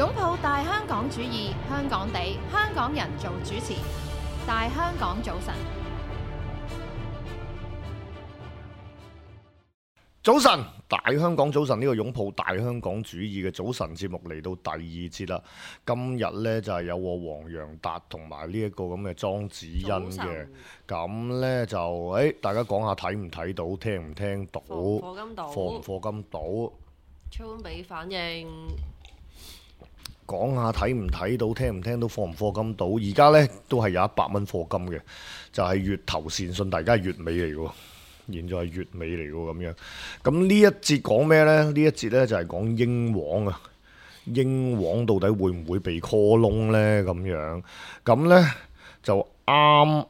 擁抱大香港主義，香港地，香港人做主持。大香港早晨，早晨，大香港早晨，呢個擁抱大香港主義嘅早晨節目嚟到第二節啦。今日呢，就係有我黃洋達同埋呢一個咁嘅莊子欣嘅。咁呢，就大家講下睇唔睇到，聽唔聽到，課唔課金到，超俾反應。講下睇唔睇到，聽唔聽到，課唔課金到。而家呢，都係有100蚊課金嘅，就係月頭善信，大家係月尾嚟嘅喎。現在係月尾嚟喎，咁樣。咁呢一節講咩呢？呢一節呢就係講英皇啊。英皇到底會唔會被 call 窿呢？咁樣。咁呢就啱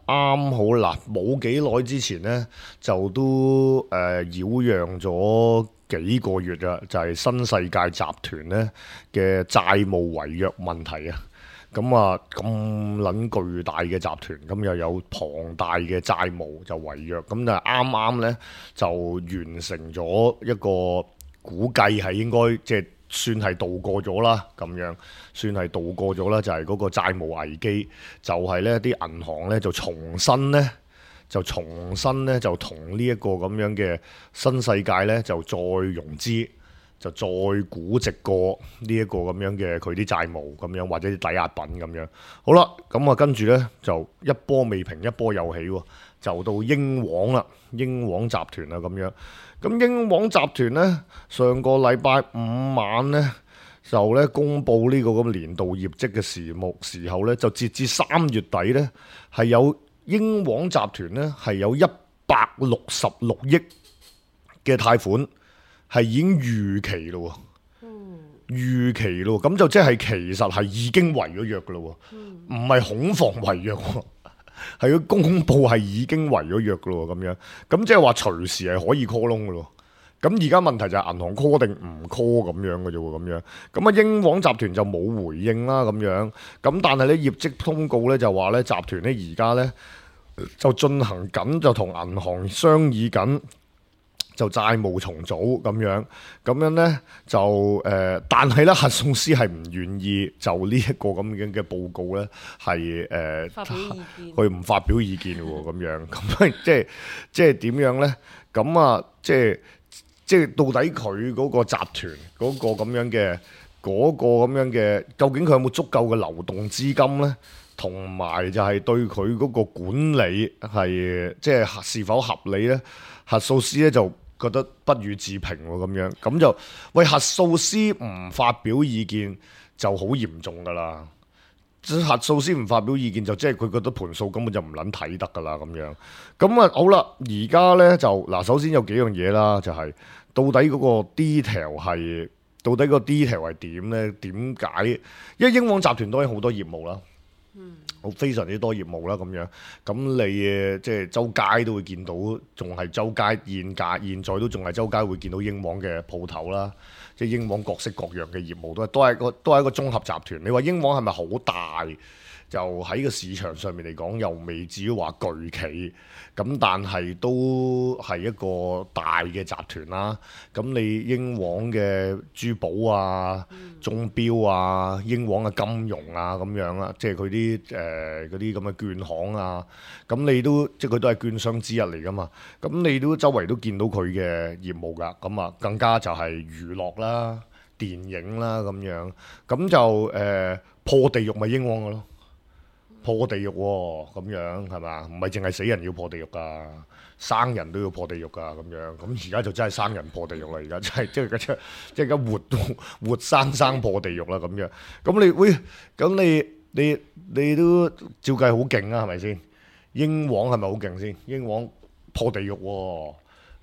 好啦，冇幾耐之前呢，就都擾攘咗幾個月啦，就係新世界集團呢嘅債務違約問題啊。咁啊，咁撚巨大嘅集團，咁又有龐大嘅債務就違約，咁就啱啱呢，就完成咗一個估計係應該即係算係渡過咗啦，咁樣算係渡過咗啦，就係嗰個債務危機，就係呢啲銀行呢，就重新呢，就同呢一個咁樣嘅新世界呢，就再融資。就再估值過呢一個咁樣嘅佢啲債務咁樣，或者啲抵押品咁樣。好啦，咁啊跟住呢，就一波未平一波又起喎，就到英皇啦，英皇集團啊咁樣。咁英皇集團呢，上個禮拜五晚呢，就呢公佈呢個咁年度業績嘅時候呢，就截至3月底呢，係有英皇集團呢，係有166億嘅貸款。係已經逾期咯，逾期咯，咁就即係其實係已經違咗約噶咯，唔係恐防違約，係佢公佈係已經違咗約噶咯，咁樣，咁即係話隨時係可以 call 窿噶咯。咁而家問題就係銀行 call 定唔 call 咁樣嘅啫喎，咁樣，咁啊英皇集團就冇回應啦，咁樣，咁但係咧業績通告咧就話咧集團咧而家咧就進行緊，就同銀行商議緊。就債務重組咁樣呢，就但係咧核數師係唔願意就呢一個咁樣嘅報告呢，係佢唔發表意見喎，咁樣咁即係點樣呢？咁啊，即係到底佢嗰個集團嗰個咁樣嘅究竟佢有冇足夠嘅流動資金呢？同埋就係對佢嗰個管理係即係是否合理呢？核數師咧就覺得不予置評喎，咁樣咁就喂核數師唔發表意見就好嚴重噶啦，核數師唔發表意見就即係佢覺得盤數根本就唔撚睇得噶啦，咁樣咁啊好啦，而家咧就嗱，首先有幾樣嘢啦，就係到底嗰個 detail 係點咧？點解？因為英皇集團當然好多業務啦。非常之多業務啦，咁樣咁你即係周街都會見到，仲係周街現在都仲係周街會見到英皇嘅鋪頭啦，即係英皇各式各樣嘅業務都係一個綜合集團。你話英皇係咪好大？就喺個市場上面嚟講，又未至於話巨企，咁但係都係一個大嘅集團啦。咁你英皇嘅珠寶啊、鐘錶啊、英皇嘅金融啊咁樣啦，即係佢啲嗰啲咁嘅券行啊，咁你都即係佢都係券商之一嚟噶嘛。咁你都周圍都見到佢嘅業務㗎。咁啊，更加就係娛樂啦、電影啦咁樣。咁就破地獄咪英皇嘅咯。破地獄喎，咁樣係嘛？唔係淨係死人要破地獄㗎，生人都要破地獄㗎，咁樣。咁而家就真係生人破地獄啦，而家真係即係而家活生破地獄啦，咁樣。咁你都照計好勁啊，係咪先？英皇係咪好勁先？英皇破地獄喎，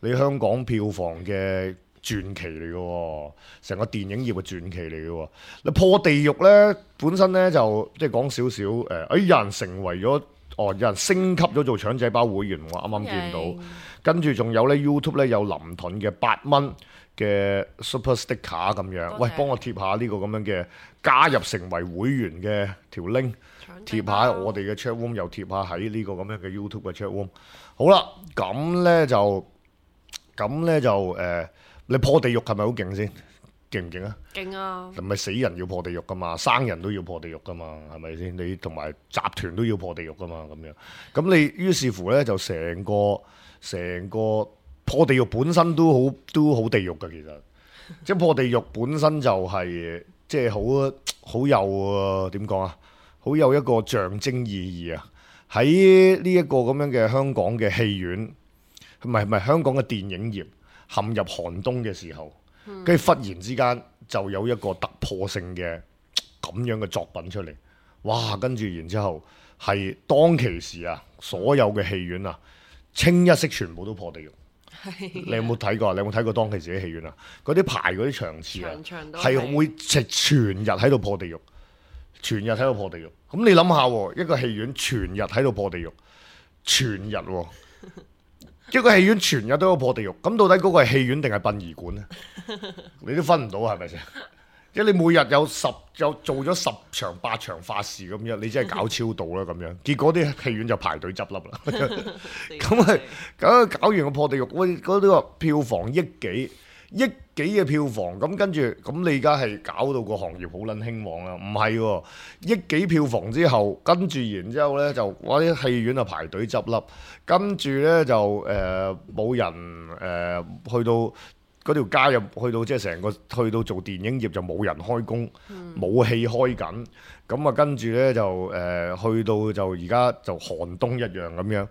你香港票房嘅傳奇嚟嘅喎，成個電影業嘅傳奇嚟嘅喎。你破地獄呢，本身呢就即係講少少有人成為咗有人升級咗做腸仔包會員，我啱啱見到。跟住仲有呢 YouTube 呢有林盾嘅8蚊嘅 Super Sticker 咁樣。喂，幫我貼下呢個咁樣嘅加入成為會員嘅條 link， 貼下我哋嘅 chat room， 又貼下喺呢個咁樣嘅 YouTube 嘅 chat room。好啦，咁呢就你破地獄係咪好勁先？勁唔勁啊？勁啊！唔係死人要破地獄噶嘛，生人都要破地獄噶嘛，係咪先？你同埋集團都要破地獄噶嘛，咁樣。咁你於是乎呢，就成個破地獄本身都好地獄噶，其實。即係破地獄本身就係即係好有點講啊，好有一個象徵意義啊！喺呢一個咁樣嘅香港嘅戲院，唔係香港嘅電影業陷入寒冬嘅時候。跟住忽然之間就有一個突破性嘅咁樣嘅作品出嚟，哇！跟住然之後係當其時啊，所有嘅戲院啊，清一色全部都破地獄。你有冇睇過？你有冇睇過當其時啲戲院啊？嗰啲排嗰啲場次啊，係會直全日喺度破地獄，全日喺度破地獄。咁你諗下喎，一個戲院全日喺度破地獄，全日喎。一個戲院全日都有破地獄，咁到底嗰個係戲院定係殯儀館呢？你都分唔到係咪先？即係你每日有做咗10場8場法事咁樣，你真係搞超度啦咁樣。結果啲戲院就排隊執笠啦。咁搞完個破地獄，喂，嗰啲個票房億幾嘅票房，咁跟住咁你而家係搞到個行業好撚興旺啦？唔係喎，億幾票房之後，跟住然之後呢，就哇啲戲院啊排隊執笠，跟住呢，就冇人去到嗰條街入去到即係成個去到做電影業就冇人開工，冇戲開緊，咁啊跟住呢，就去到就而家就寒冬一樣咁樣，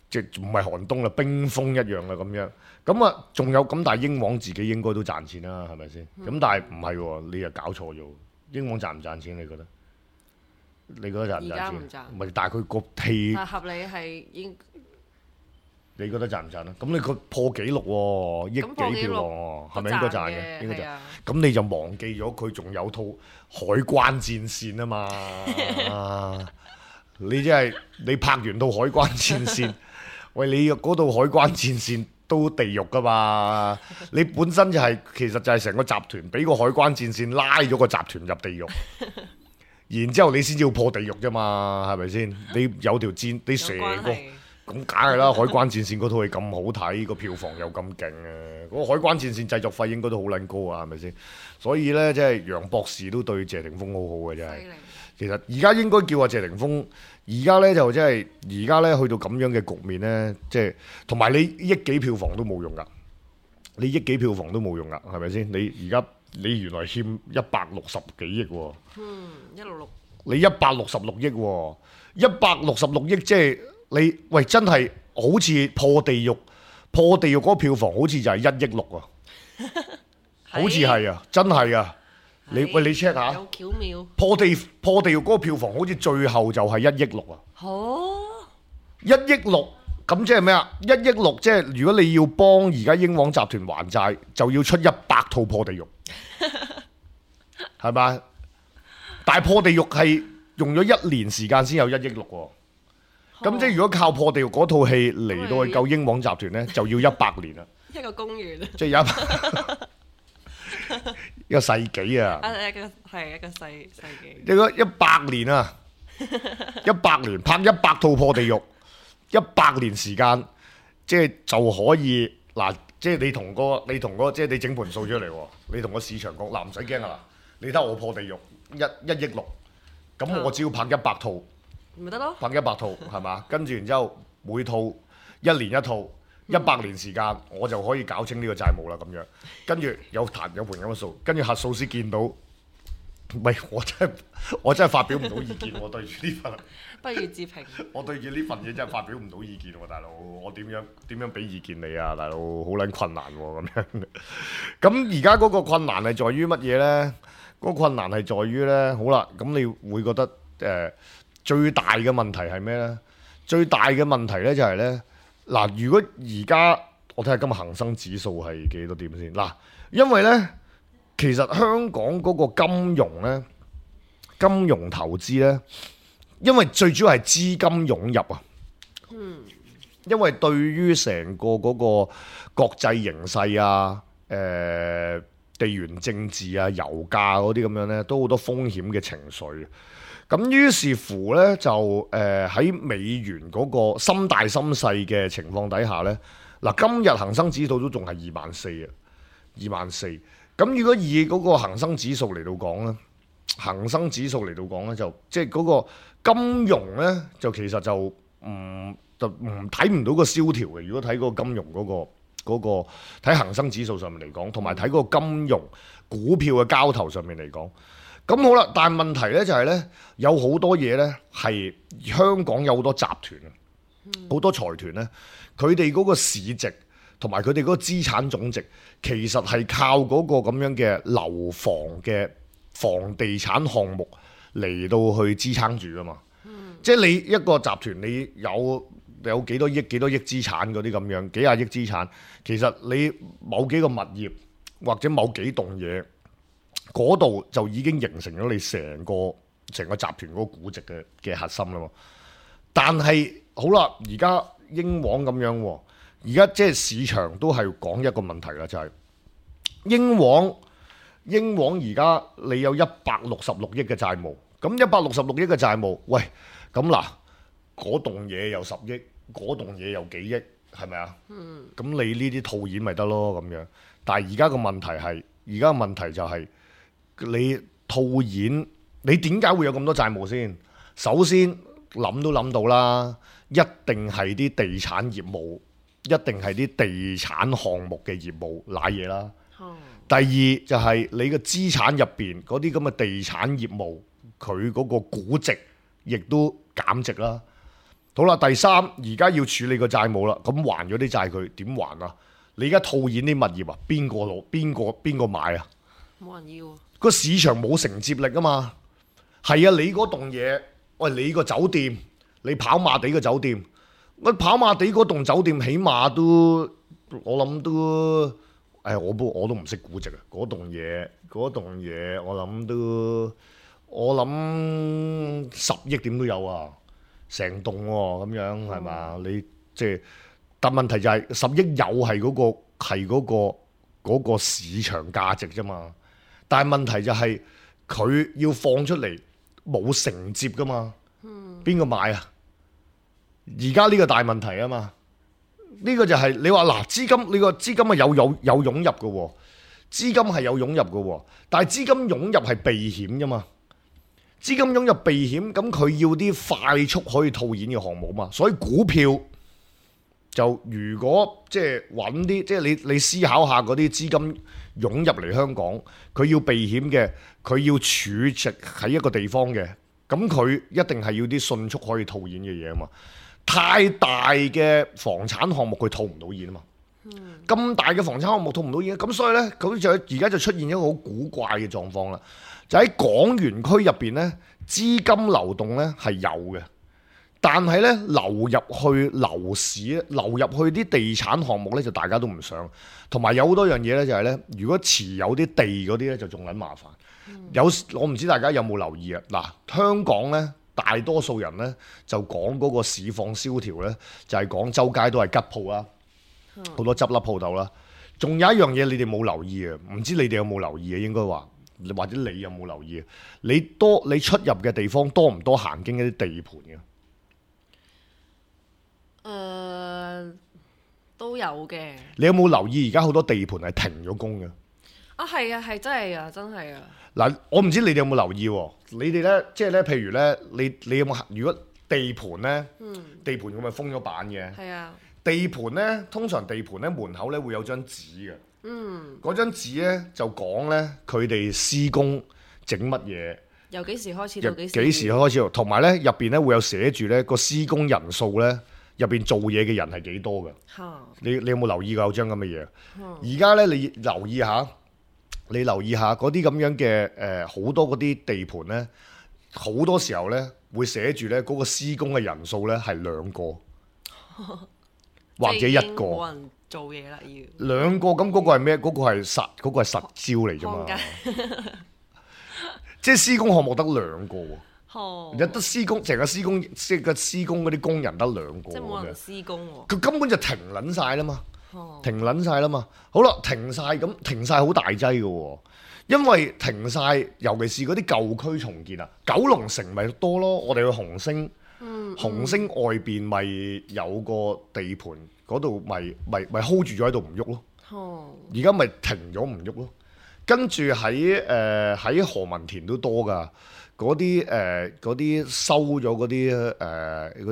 即係唔係寒冬啦，冰封一樣啦咁樣。咁啊，仲有咁，但係英皇自己應該都賺錢啦，係咪先？咁但係唔係喎，你又搞錯咗。英皇賺唔賺錢？你覺得？你覺得賺唔賺錢？而家唔賺。唔係，但係佢個戲，但合理係應。你覺得賺唔賺啊？咁你個破紀錄喎，億幾票房喎，係咪應該賺嘅？應該賺。咁你就忘記咗佢仲有套海關戰線啊嘛！你真係你拍完套海關戰線，喂，你嗰套海關戰線都地獄噶嘛？你本身就係其實就係成個集團俾個海關戰線拉咗個集團入地獄，然之後你先至要破地獄啫嘛？係咪先？你有條戰，你成個。咁梗係啦，海關戰線嗰套戲咁好睇，個票房又咁勁啊！嗰個海關戰線製作費應該都好撚高啊，係咪先？所以呢，即係楊博士都對謝霆鋒好好嘅，真係。其實而家應該叫阿謝霆鋒，而家呢，就即係而家呢，去到咁樣嘅局面呢，即係同埋你億幾票房都冇用噶，你億幾票房都冇用噶，係咪先？你而家你原來欠160幾億喎。166。你166億喎，166億即係。你喂真係好似破地獄嗰個票房好似就係1億6啊，好似係啊，真係啊！你 check 下，有巧妙破地獄嗰個票房好似最後就係1億6啊！哦，1億6咁即係咩啊？1億6即係如果你要幫而家英皇集團還債，就要出100套破地獄，係咪？但係破地獄係用咗1年時間先有1億6喎。咁即係如果靠破地獄嗰套戲嚟到去救英皇集團呢，就要100年啦。一個公園，即係有一個世紀啊！一個世紀。一個100年啊！100年拍100套破地獄，100年時間，即係就可以嗱，即係你同個即係你整盤數出嚟喎，你同個市場講嗱，唔使驚啊，你睇我破地獄1億6，咁我只要拍100套。咪得咯，拍100套係嘛？跟住然之後每套1年1套，100年時間我就可以搞清呢個債務啦咁樣。跟住有盤咁嘅數，跟住核數師見到，喂，我真係發表唔到意見喎，對住呢份，不如自評。我對住呢份嘢真係發表唔到意見喎，大佬，我點樣俾意見你啊，大佬，好撚困難喎咁樣。咁而家嗰個困難係在於乜嘢呢？嗰個困難係在於呢，好啦，咁你會覺得最大嘅問題係咩呢？最大嘅問題呢就係呢，嗱，如果而家我睇下今日恒生指數係幾多點先嗱，因為呢，其實香港嗰個金融呢，金融投資呢，因為最主要係資金湧入啊，因為對於成個嗰個國際形勢啊，地緣政治啊、油價嗰啲咁樣呢，都好多風險嘅情緒。咁於是乎呢，就喺美元嗰個心大心細嘅情況底下呢，嗱，今日恒生指數都仲係24,000啊，24,000。咁咁如果以嗰個恆生指數嚟到講咧，恆生指數嚟到講咧，就即係嗰個金融咧，就其實就唔睇唔到個蕭條嘅。如果睇嗰個金融嗰個睇恆生指數上面嚟講，同埋睇嗰個金融股票嘅交投上面嚟講，咁好啦。但係問題咧就係咧，有好多嘢咧係香港有好多集團啊，好多財團咧，佢哋嗰個市值同埋佢哋嗰個資產總值，其實係靠嗰個咁樣嘅樓房嘅房地產項目嚟到去支撐住噶嘛。即係你一個集團，你有幾多億資產嗰啲咁樣，幾廿億資產，其實你某幾個物業或者某幾棟嘢嗰度就已經形成咗你成個集團嗰個估值嘅核心啦嘛。但係好啦，而家英皇咁樣喎，而家即係市場都係講一個問題啦，就係英皇而家你有166億嘅債務，咁166億嘅債務，喂，咁嗱，嗰棟嘢有10億，嗰棟嘢有幾億，係咪啊？咁你呢啲套現咪得咯咁樣。但係而家個問題係，而家個問題就係你套現，你點解會有咁多債務先？首先諗都諗到啦，一定係啲地產業務，一定係啲地產項目嘅業務瀨嘢啦。第二就係你嘅資產入邊嗰啲咁嘅地產業務，佢嗰個估值亦都減值啦。好啦，第三而家要處理個債務啦，咁還咗啲債佢點還啊？你而家套現啲物業啊，邊個攞？邊個買啊？冇人要啊！個市場冇承接力啊嘛。係啊，你嗰棟嘢，喂，你個酒店，你跑馬地嘅酒店，我跑馬地嗰棟酒店起碼都，我諗都，我都唔識估值啊。嗰棟嘢，我諗10億點都有啊。成棟喎咁樣係嘛？你即係，但問題就係10億有係嗰個市場價值啫嘛。但係問題就係佢要放出嚟冇承接噶嘛。邊個買啊？而家呢個大問題啊嘛。呢個就係你話嗱，資金，你個資金係有湧入嘅喎，資金係有湧入嘅喎，但係資金湧入係避險啫嘛。資金湧入避險，咁佢要啲快速可以套現嘅項目嘛，所以股票就如果即係揾啲，即係你思考下嗰啲資金湧入嚟香港，佢要避險嘅，佢要儲值喺一個地方嘅，咁佢一定係要啲迅速可以套現嘅嘢啊嘛。太大嘅房產項目佢套唔到現啊嘛，咁大嘅房產項目套唔到現，咁所以呢，佢就而家就出現一個好古怪嘅狀況啦。就喺港園區入邊呢，資金流動呢係有嘅，但係呢，流入去樓市，流入去啲地產項目呢，就大家都唔想，同埋有好多樣嘢呢，就係呢：如果持有啲地嗰啲呢，就仲撚麻煩。我唔知大家有冇留意啊？嗱，香港呢，大多數人呢，就講嗰個市況蕭條呢，就係講周街都係吉鋪啦，好多執笠鋪頭啦。仲有一樣嘢你哋冇留意啊？唔知你哋有冇留意啊？應該話。或者你有冇留意？你出入嘅地方多唔多行經一啲地盤嘅？都有嘅。你有冇留意而家好多地盤係停咗工嘅？啊，係啊，係真係啊，真係啊！嗱，我唔知你哋有冇留意喎？你哋呢，即係呢，譬如呢，你有冇？如果地盤呢，地盤佢咪封咗板嘅？係啊。地盤呢，通常地盤呢門口呢會有張紙嘅。嗰張紙咧就講咧佢哋施工整乜嘢，由幾時開始到幾時開始，同埋咧入邊咧會有寫住咧個施工人數咧，入邊做嘢嘅人係幾多嘅。你有冇留意過有張咁嘅嘢？而家咧你留意下嗰啲咁樣嘅好多嗰啲地盤咧，好多時候咧會寫住咧嗰個施工嘅人數咧係2個或者1個。做嘢啦，要2個，咁嗰個係咩？嗰個係實招嚟啫嘛。即係施工項目得2個喎，有得施工，成個施工即係個施工嗰啲工人得2個，即係冇人施工喎。佢根本就停撚晒啦嘛，停撚晒啦嘛。好啦，停晒好大劑嘅喎，因為停晒，尤其是嗰啲舊區重建啊，九龍城咪多咯。我哋去紅星，紅星外邊咪有個地盤。嗰度咪 hold 住咗喺度唔喐咯，而家咪停咗唔喐咯。跟住喺何文田都多㗎，嗰啲收咗嗰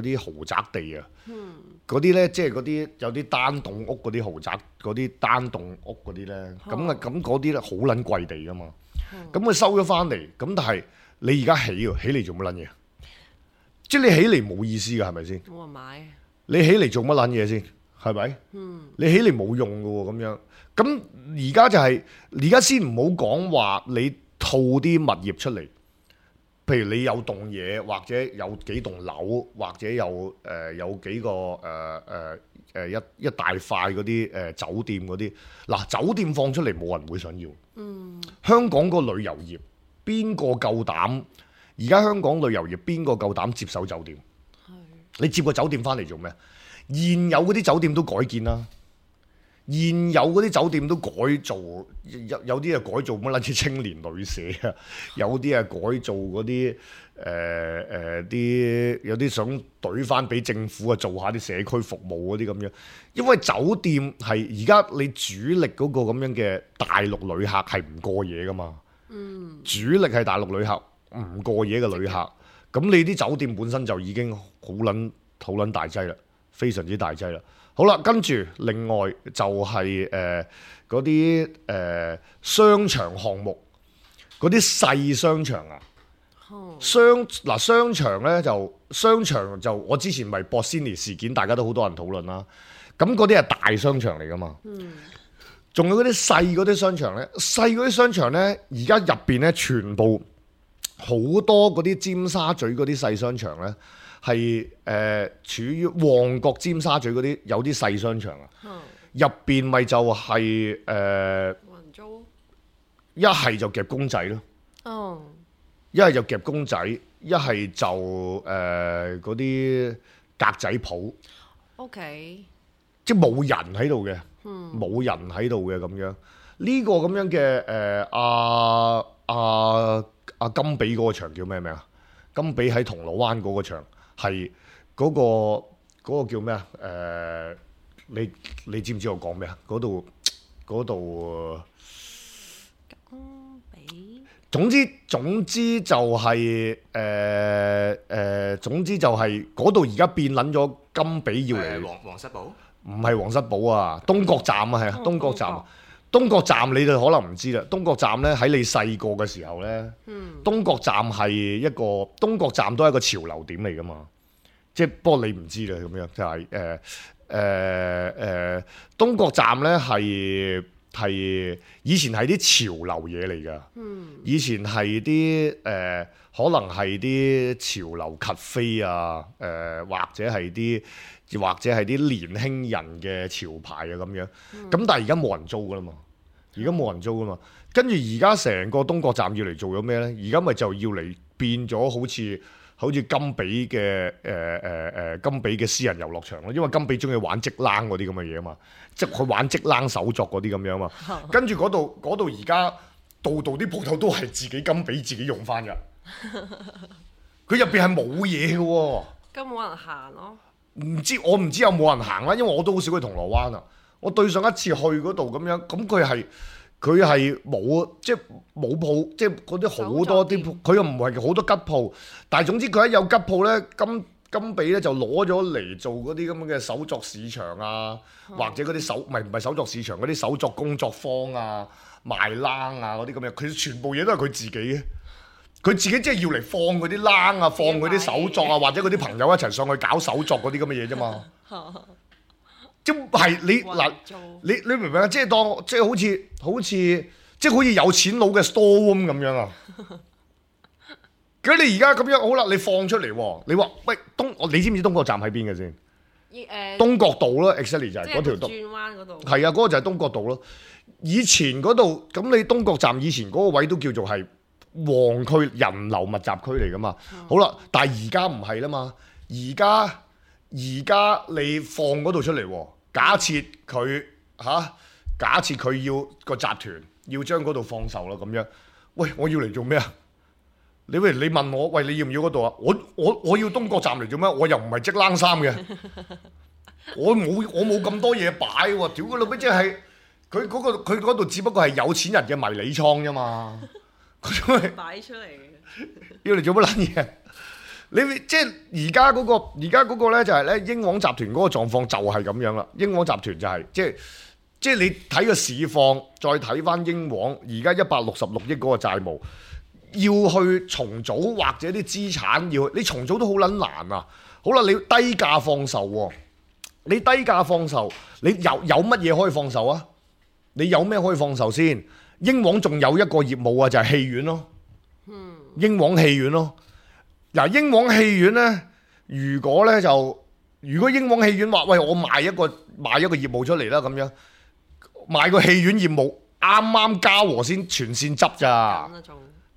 啲豪宅地啊，嗰啲咧即係嗰啲有啲單棟屋嗰啲豪宅，嗰啲單棟屋嗰啲咧，咁嗰啲咧好撚貴地㗎嘛，咁佢收咗翻嚟，咁但係你而家起嚟做乜撚嘢？即係你起嚟冇意思㗎，係咪先？冇人買。你起嚟做乜撚嘢先？係咪？你起嚟冇用㗎喎，咁樣。咁而家就係而家先唔好講話你套啲物業出嚟，譬如你有棟嘢，或者有幾棟樓，或者有幾個一大塊嗰啲酒店嗰啲。嗱，酒店放出嚟冇人會想要。香港個旅遊業邊個夠膽？而家香港旅遊業邊個夠膽接手酒店？你接個酒店翻嚟做咩？現有嗰啲酒店都改建啦。現有嗰啲酒店都改造，有啲係改造乜撚似青年旅社啊，有啲係改造嗰啲有啲想懟翻俾政府啊，做下啲社區服務嗰啲咁樣。因為酒店係而家你主力嗰個咁樣嘅大陸旅客係唔過夜噶嘛，主力係大陸旅客唔過夜嘅旅客，咁你啲酒店本身就已經好撚大劑啦，非常之大劑啦。好啦，跟住另外就係嗰啲商場項目，嗰啲細商場啊，商場咧商場就我之前咪博斯尼事件，大家都好多人討論啦。咁嗰啲係大商場嚟噶嘛，仲有嗰啲細嗰啲商場咧，細嗰啲商場咧，而家入邊咧全部好多嗰啲尖沙咀嗰啲細商場咧。係處於旺角尖沙咀嗰啲有啲細商場啊，入邊咪就係冇人租，一係就夾公仔咯，一係就夾公仔，一係就嗰啲格仔鋪，OK，即係冇人喺度嘅，冇人喺度嘅咁樣。呢個咁樣嘅阿金比嗰個場叫咩名啊？金比喺銅鑼灣嗰個場。係嗰個叫咩啊？你知唔知我講咩啊？嗰度金比。總之就係總之就係嗰度而家變撚咗金比要嚟。皇室堡？唔係皇室堡啊，東角站啊，係啊，東角站。東角站你哋可能唔知啦，東角站咧喺你細個嘅時候咧，東角站係東角站都係一個潮流點嚟噶嘛，即係不過你唔知啦咁樣，就係東角站咧係以前係啲潮流嘢嚟噶，以前係啲可能係啲潮流cafe啊，或者係啲年輕人嘅潮牌啊咁樣，咁但係而家冇人租噶啦嘛，跟住而家成個東角站要嚟做咗咩呢？而家咪就要嚟變咗好似金比嘅私人遊樂場咯，因為金比中意玩織冷嗰啲咁嘅嘢啊嘛，即係佢玩織冷手作嗰啲咁樣嘛，跟住嗰度而家度啲鋪頭都係自己金比自己用翻㗎，佢入邊係冇嘢嘅喎，根本冇人行咯。我唔知有冇人行啦，因為我都好少去銅鑼灣啊。我對上一次去嗰度咁樣，咁佢係冇即係冇鋪，即係嗰啲好多啲鋪，佢又唔係好多吉鋪，但係總之佢一有吉鋪咧，金比咧就攞咗嚟做嗰啲咁嘅手作市場啊，或者嗰啲唔係手作市場嗰啲手作工作坊啊、賣冷啊嗰啲咁樣，佢全部嘢都係佢自己嘅。佢自己即係要嚟放嗰啲冷啊，放嗰啲手作啊，或者嗰啲朋友一齊上去搞手作嗰啲咁嘅嘢啫嘛。即係你明唔明啊？即係當即係好似有錢佬嘅 store room 咁樣啊。咁你而家咁樣好啦，你放出嚟喎，你話喂你知唔知東角站喺邊嘅先？東角道咯 ，exactly 就係嗰條轉彎嗰度。係啊，嗰個就係東角道咯。以前嗰度咁，你東角站以前嗰個位都叫做係旺區人流密集區嚟噶嘛，好啦，但係而家唔係啦嘛，而家你放嗰度出嚟喎，假設佢要個集團要將嗰度放售啦咁樣，喂，我要嚟做咩啊？你問我，喂，你要唔要嗰度啊？我要東角站嚟做咩？我又唔係織冷衫嘅，我冇咁多嘢擺喎，屌佢老味，佢嗰度只不過係有錢人嘅迷你倉啫嘛。佢擺出嚟嘅。要嚟做乜撚嘢？你即係而家嗰個咧就係咧英皇集團嗰個狀況就係咁樣啦。英皇集團就係即係你睇個市況，再睇翻英皇而家166億嗰個債務，要去重組或者啲資產你重組都好撚難啊！好啦，你要低價放售喎，你低價放售，你有乜嘢可以放售啊？你有咩可以放售先？英皇仲有一個業務啊，就係戲院咯。英皇戲院咯。嗱，英皇戲院呢，如果英皇戲院話喂，我賣一個業務出嚟啦，咁樣賣個戲院業務，啱啱嘉禾先全線執咋。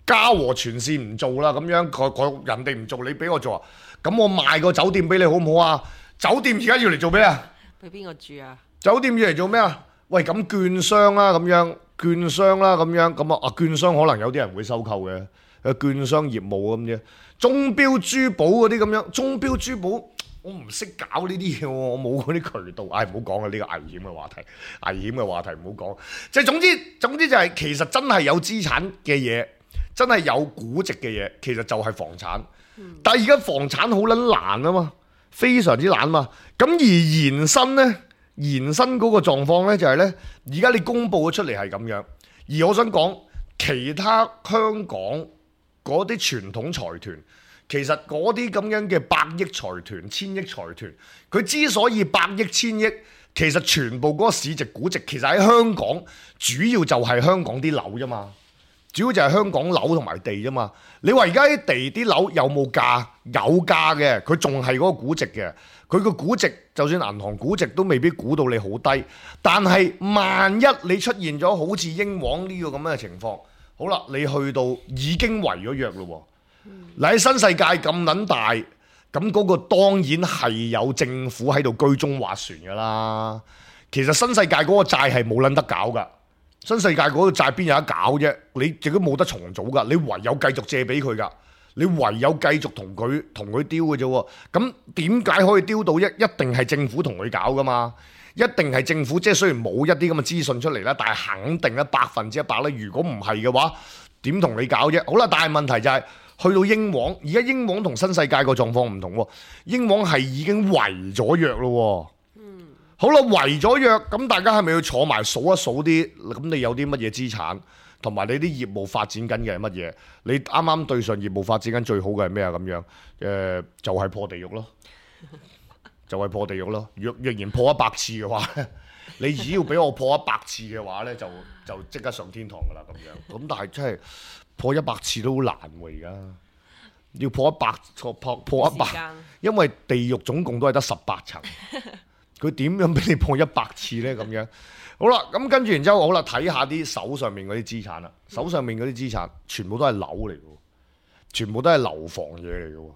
嘉禾全線唔做啦，咁樣人哋唔做，你俾我做啊？咁我賣個酒店俾你好唔好啊？酒店而家要嚟做咩啊？俾邊個住啊？酒店要嚟做咩啊？喂，咁券商啦，咁樣券商啦，咁樣咁啊，券商可能有啲人會收購嘅，券商業務咁啫。鐘錶珠寶嗰啲咁樣，鐘錶珠寶我唔識搞呢啲嘢喎，我冇嗰啲渠道，唔好講啊！呢個危險嘅話題，唔好講。即係總之就係其實真係有資產嘅嘢，真係有估值嘅嘢，其實就係房產。但係而家房產好撚難啊嘛，非常之難嘛。咁而延伸嗰個狀況呢，就係呢：而家你公佈咗出嚟係咁樣，而我想講其他香港嗰啲傳統財團，其實嗰啲咁樣嘅百億財團、千億財團，佢之所以百億、千億，其實全部嗰個市值估值，其實喺香港主要就係香港啲樓啫嘛。主要就係香港樓同埋地啫嘛。你話而家啲地啲樓有冇價？有價嘅，佢仲係嗰個估值嘅。佢個估值就算銀行估值都未必估到你好低。但係萬一你出現咗好似英皇呢個咁樣嘅情況，好啦，你去到已經違咗約咯。嗱，喺新世界咁撚大，咁嗰個當然係有政府喺度居中斡旋㗎啦。其實新世界嗰個債係冇撚得搞㗎。新世界嗰個債邊有得搞啫？你亦都冇得重組㗎，你唯有繼續借俾佢㗎，你唯有繼續同佢丟嘅啫喎。咁點解可以丟到一定係政府同佢搞㗎嘛？一定係政府，即係雖然冇一啲咁嘅資訊出嚟啦，但係肯定咧100%咧。如果唔係嘅話，點同你搞啫？好啦，但係問題就係去到英皇，而家英皇同新世界個狀況唔同喎。英皇係已經違咗約咯。好啦，違咗約，咁大家係咪要坐埋數一數啲？咁你有啲乜嘢資產，同埋你啲業務發展緊嘅係乜嘢？你啱啱對上業務發展緊最好嘅係咩啊？咁樣就係破地獄咯，就係破地獄咯。若然破100次嘅話，你只要俾我破100次嘅話咧，就即刻上天堂噶啦咁樣。咁但係真係破100次都好難喎，而家要破100，因為地獄總共都係得18層。佢點樣俾你破100次呢？咁樣好啦，咁跟住然之後好啦，睇下啲手上面嗰啲資產啦。手上面嗰啲資產全部都係樓嚟嘅，全部都係樓房嘢嚟嘅。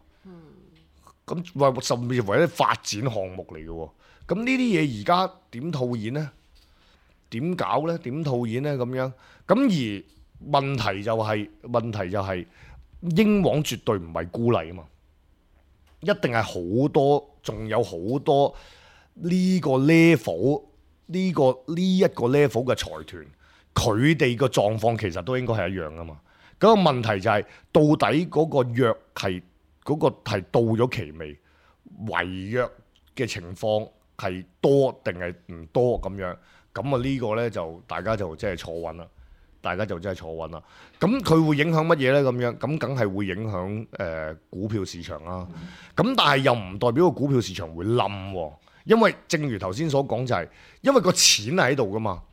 咁甚至乎係啲發展項目嚟嘅。咁呢啲嘢而家點套現呢？點搞呢？點套現呢？咁樣咁而問題就係英皇絕對唔係孤立啊嘛，一定係好多，仲有好多。呢個 level 呢一個 level 嘅財團，佢哋個狀況其實都應該係一樣噶嘛。嗰個問題就係到底嗰個約係到咗期未？違約嘅情況係多定係唔多咁樣？咁啊呢個呢，就大家就真係坐穩啦。咁佢會影響乜嘢呢？咁樣咁梗係會影響股票市場啦。咁但係又唔代表個股票市場會冧喎。因為正如頭先所講，就係因為個錢係喺度噶嘛，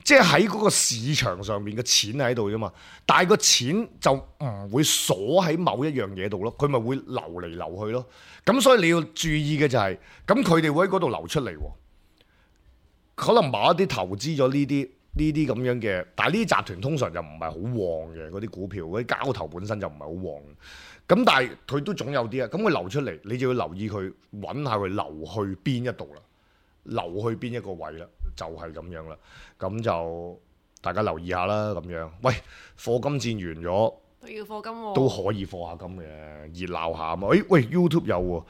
即係喺嗰個市場上面嘅錢係喺度啫嘛，但係個錢就唔會鎖喺某一樣嘢度咯，佢咪會流嚟流去咯。咁所以你要注意嘅就係，咁佢哋會喺嗰度流出嚟，可能某一啲投資咗呢啲咁樣嘅，但係呢啲集團通常就唔係好旺嘅，嗰啲股票嗰啲交投本身就唔係好旺。咁但係佢都總有啲啊，咁佢流出嚟，你就要留意佢，揾下佢流去邊一度啦，流去邊一個位啦，就係咁樣啦。咁就大家留意下啦，咁樣。喂，課金戰完咗，都要課金喎，都可以課下金嘅，熱鬧下啊嘛。喂 YouTube 有喎，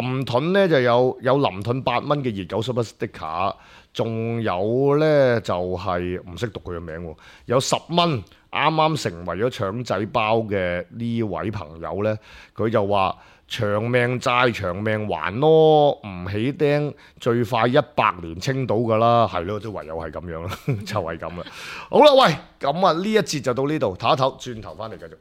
林盾咧就有林盾8蚊嘅熱狗 Super Sticker，仲有呢，就係唔識讀佢嘅名喎，有10蚊啱啱成為咗腸仔包嘅呢位朋友呢，佢就話長命債長命還咯，唔起釘最快100年清到㗎啦，係咯，都唯有係咁樣啦，就係咁啦。好啦，喂，咁啊呢一節就到呢度，唞一唞，轉頭翻嚟繼續。